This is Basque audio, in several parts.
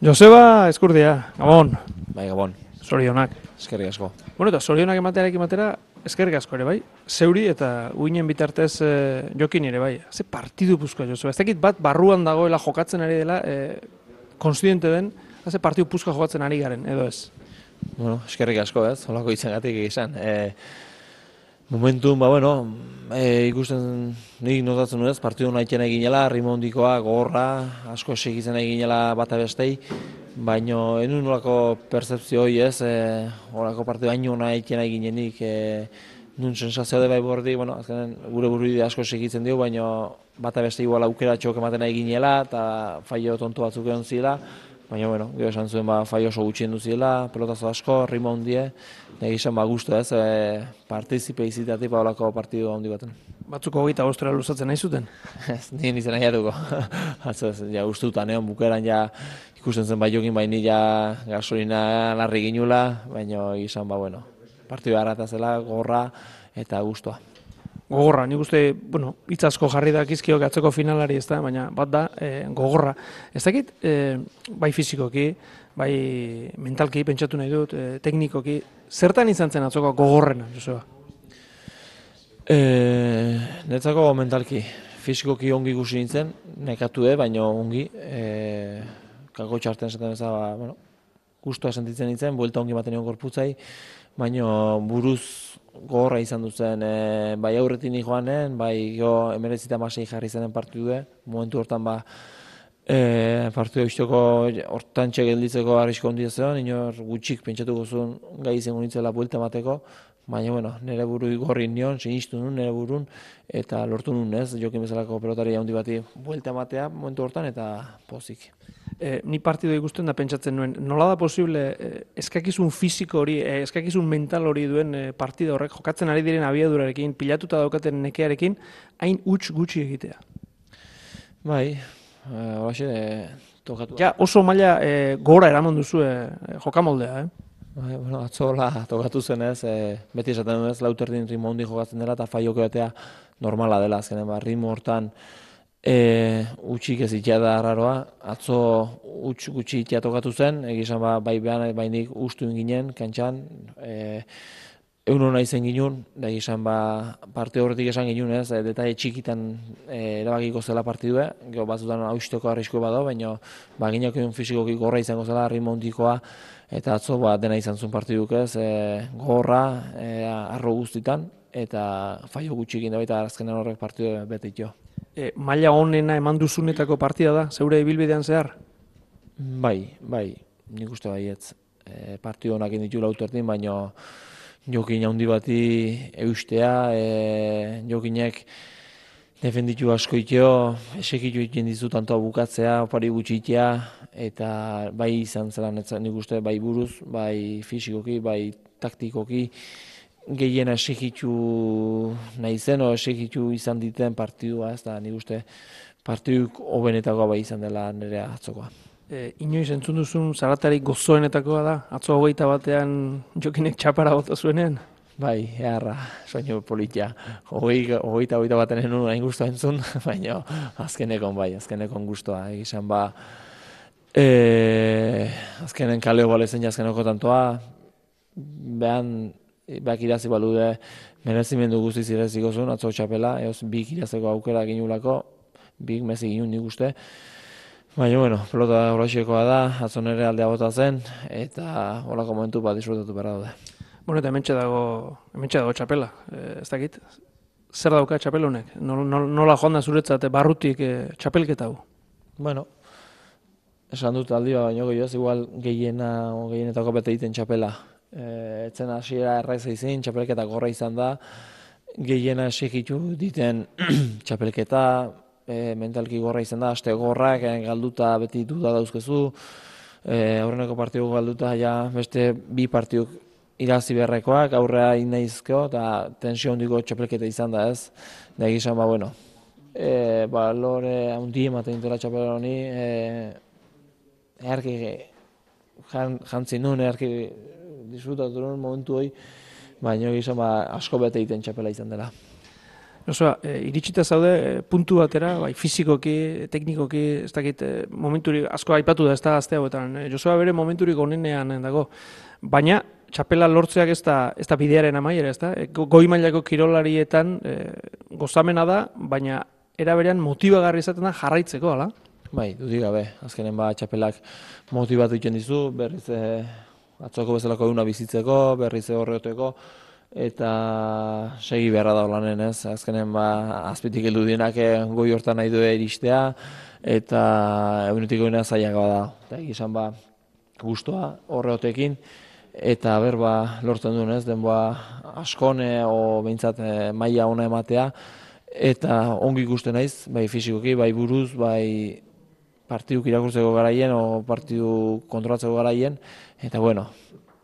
Joseba Eskurdia, Gabon, Bai, Gabon, zorionak. eskerrik asko. Bueno, eta zorionak ematearekin batera, eskerrik asko ere bai. Zeuri eta uinen bitartez jokin ere bai. Ze partidu puzkoa, Joseba. Ez dakit bat barruan dagoela jokatzen ari dela, konstiente den, ze partidu puzkoa jokatzen ari garen, edo ez? Bueno, eskerrik asko, ez? Holako izangatik izan. Momentun, ikusten nik notatzen nuen, partidu nahiten eginela, rimondikoa, gogorra, asko segitzen eginela bata bestei, baino enun nolako percepzio hori ez, horako partidu haino nahiten eginenik, nun sensazio de bai bordi, azkenen gure burubide asko segitzen dio, baino bata beste igual aukera txok ematen eginela, eta faio tonto batzuk egon zila, baina, gero esan zuen faio oso gutxien duziela, pelotazo asko, rima hundie, nahi izan guztu ez, partizipe izitatik olako partidu handi baten. Batzuko 25 luzatzen nahi zuten? Ez, nien izan nahiatuko. Atzo ez, ustutan egon bukeran ikusten zen bai jokin, baini gasolina larri ginula, baina izan partidu harratazela, gorra eta guztua. Gogorra, nik uste, hitz asko jarri dakizkiok atzeko finalari ez da, baina bat da, gogorra. Ez dakit, bai fizikoki, bai mentalki pentsatu nahi dut, teknikoki, zertan izan zen atzoko gogorrena, Joseba? Netzako mentalki, fizikoki ongi ikusi nintzen, nekatu baina ongi, kako txarten zaten ez da, guztua sentitzen nintzen, buelta ongi baten egon gorputzai, baina buruz gogorra izan duzen, bai aurretin joanen, bai emerezita masei jarri zenen partidu momentu hortan partidu eusteko hortan gelditzeko arrisko handia zeon, inor gutxik pentsatuko zuen gai izango nintzela buelta emateko, baina nire buru gorri nion, sinistu nun nire burun, eta lortu nun ez, jokin bezalako pelotari handi bati buelta ematea momentu hortan eta pozik. Ni partidu ikusten da pentsatzen nuen, nola da posible eskakizun fisiko hori, eskakizun mental hori duen partida horrek jokatzen ari diren abiadurarekin, pilatuta daukaten nekearekin, hain huts gutxi egitea? Bai, horaxe tokatu. Ja, oso maila gora eraman duzu jokamoldea, Bai, atzola tokatu zen ez, beti esaten duen ez, lauterdin ritmo handi jokatzen dela eta faioko batea normala dela azkenen, ritmo hortan utxik ez itea da arraroa, atzo utx gutxi itea tokatu zen, egizan bai behan bainik ustu inginen, kantxan, egun hona izen ginun, da egizan parte horretik esan ginun ez, detaile txikitan erabakiko zela partidue, gero batzutan hausteko arrisko bado, baina gineak egun fizikoki gorra izango zela, ritmo handikoa, eta atzo dena izan zuen partiduk ez, gorra, arro guztitan, eta faio gutxikin da baita azkenen horrek partidu bete ito. Maila honena eman duzunetako partida da, zeure ibilbidean zehar? Bai, nik uste baietz. Partidu honak inditu lauterdin, baina jokin handi bati eustea, jokinek defenditu asko itio, esekitu iten dizu tantoa bukatzea, opari gutxi itea, eta bai izan zelan nik uste bai buruz, bai fisikoki, bai taktikoki, gehiena esekitu nahi zen, esekitu izan diten partidua, ez da nik uste partiduk hobenetakoa bai izan dela nire atzokoa. Inoiz entzun duzun zaratarik gozoenetakoa da, atzo 21 jokinek txapara bota zuenean? Bai, eharra, soinu politia. 21 baten enun hain guztua entzun, baina azkenekon guztua. Egizan azkenen kaleo balezen azkeneko tantoa, behak irazi balude merezimendu guztiz ireziko zuen, atzo txapela, bik irazeko aukera ginulako, bik mezi ginun nik uste. Baina, pelota horrexekoa da, atzo nire aldea bota zen, eta horako momentu disfrutatu behar daude. Eta hementxe dago txapela, ez dakit, zer dauka txapel honek? Nola joan da zuretzat barrutik txapelketa hau? Esan dut aldi baina gehiago, igual gehienetako bete egiten txapela. Etzen hasiera erraiza izin, txapelketa gorra izan da, gehiena esekitu diten txapelketa, mentalki gorra izan da, aste gorrak, galduta beti duda dauzkezu, aurreneko partidu galduta, beste bi partiduk irazi beharrekoak, aurrea inaizko, eta tensio handiko txapelketa izan da ez, da egizan lore handi ematen dutela txapela honi, eharki jantzin nuen, eharki disfrutatu nuen momentu hori, baina egizan asko bete egiten txapela izan dela. Joseba, iritsita zaude puntu batera, bai fisikoki, teknikoki, ez dakit momenturik asko aipatu da ez da gazte hauetan. Joseba bere momenturik onenean dago. Baina txapela lortzeak ez da bidearen amaiera, ez da? Goi mailako kirolarietan gozamena da, baina era berean motibagarri izaten da jarraitzeko, ala? Bai, dudik gabe, azkenen txapelak motibatu egiten dizu, berriz atzoko bezalako eguna bizitzeko, berriz horreteko, eta segi beharra da lanen, ez? Azkenen azpitik heldu dienak goi hortan nahi du iristea, eta egunetik goina zaiak da. Eta egizan guztua horreotekin, eta lortzen duen, ez? Denboa askone, o behintzat maila ona ematea, eta ongi ikusten naiz, bai fisikoki, bai buruz, bai partiduk irakurtzeko garaien, o partidu kontrolatzeko garaien, eta bueno,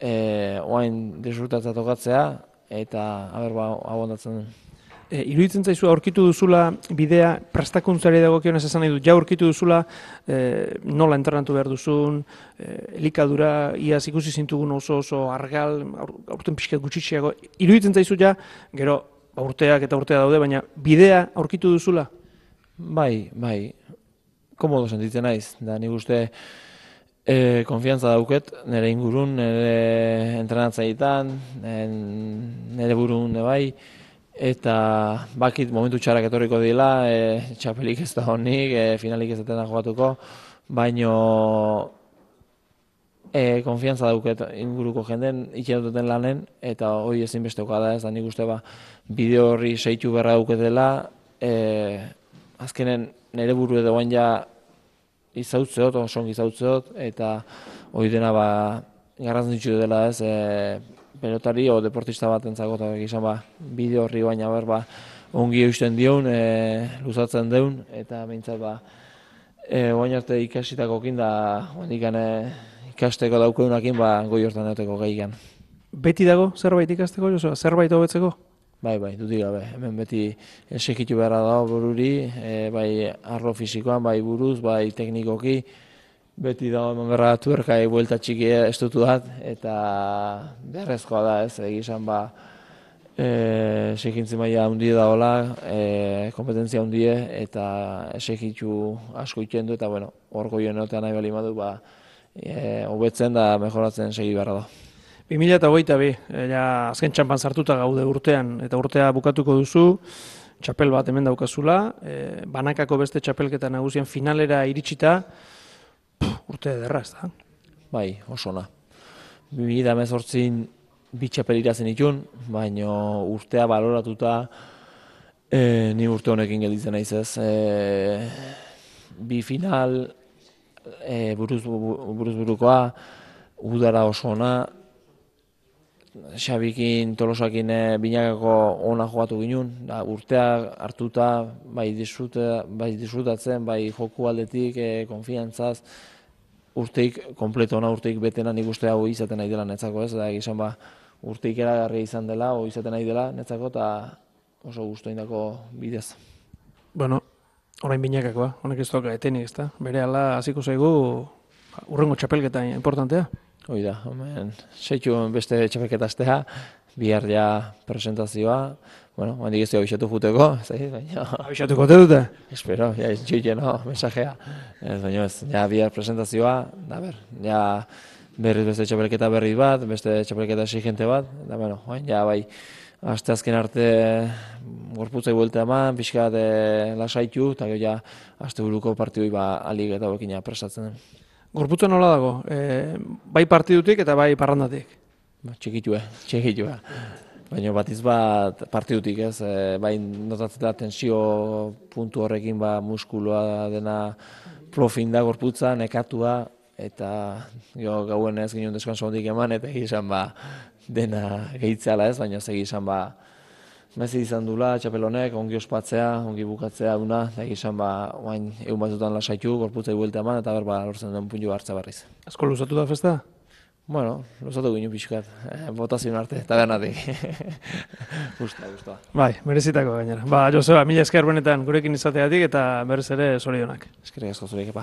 oain disfrutatza tokatzea, eta abondatzen den. Iruditzen zaizu aurkitu duzula bidea prestakuntzari dagokionez esan nahi dut, ja aurkitu duzula nola entrenatu behar duzun, elikadura, iaz ikusi zintugun oso argal, aurten pixkat gutxitsiago, iruditzen zaizu ja, gero urteak eta urtea daude, baina bidea aurkitu duzula? Bai, komodo sentitzen naiz, da nik uste konfiantza dauket, nire ingurun, nire entrenatzaietan, nire burun bai, eta bakit momentu txarrak etorriko dira, txapelik ez da honik, finalik ez da jokatuko, baino konfiantza dauket inguruko jenden, ikin duten lanen, eta hori ezinbestekoa da ez, da nik uste bideo horri seitu beharra dauketela, azkenen nire buru edo bain ja izautzeot, osongi izautzeot, eta hori dena garrantzitsu dela ez, pelotari o deportista bat entzako, eta gizan bideo horri baina ongi eusten dion, luzatzen deun, eta behintzat oain arte ikasitakokin da, ikasteko daukeunakin goi hortan euteko gehiagan. Beti dago zerbait ikasteko, Joseba? Zerbait hobetzeko? Bai, dudik gabe. Hemen beti esekitu beharra dago bururi, bai arlo fisikoan, bai buruz, bai teknikoki, beti dago hemen berra tuerkai buelta txiki estutu dat, eta beharrezkoa da ez, egizan esekintzi maila handie daola, kompetentzia handie, eta esekitu asko iten du, eta hor goien notean nahi bali madu, hobetzen da mejoratzen segi beharra da. 2022, azken txampan sartuta gaude urtean, eta urtea bukatuko duzu, txapel bat hemen daukazula, banakako beste txapelketa nagusien finalera iritsita, urte ederra ez da? Bai, oso ona. 2018 bi txapel irazen itun, baina urtea baloratuta ni urte honekin gelditzen naiz ez. Bi final buruz-burukoa, udara oso ona, Xabikin, Tolosakin binakako ona jogatu ginen, urtea hartuta, bai disfrutatzen, bai joku aldetik, konfiantzaz, urteik kompleto ona, urteik betena nik uste hau izaten nahi dela netzako ez, da egizan urteik eragarri izan dela, hau izaten nahi dela netzako, eta oso guztu indako bidez. Bueno, orain binakakoa, honek ez doka etenik ez da, bere ala hasiko zaigu urrengo txapelketa importantea. Hoi da, seitu beste txapelketa astea, bihar ja presentazioa, handik ez du abixatu juteko, baina... Abixatuko te dute? Espero, ja iztxuiten, mensajea. Baina ez, ja bihar presentazioa, ja berriz beste txapelketa berri bat, beste txapelketa exigente bat, da ja bai, asteazken arte gorputzai buelta eman, pixkat lasaitu, eta gero ja asteburuko partidui alik eta hauekin prestatzen den. Gorputza nola dago? Bai partidutik eta bai parrandatik? Txikitue. Baina batiz bat partidutik ez, bai notatzen da tensio puntu horrekin muskuloa dena profin da gorputza, nekatua, eta gauen ez ginen deskanso hondik eman, eta egizan dena gehitzala ez, baina egizan mezi izan dula, txapel honek, ongi ospatzea, ongi bukatzea duna, eta egizan oain egun batzutan lasaitu, gorputzai buelta eman, eta lortzen den puntu hartza barriz. Asko luzatu da festa? Luzatu ginen pixkat, botazioen arte, tabernatik. Gusta. Bai, merezitako gainera. Joseba, mila esker benetan gurekin izateatik eta berriz ere zorionak. Eskerrik asko zureik,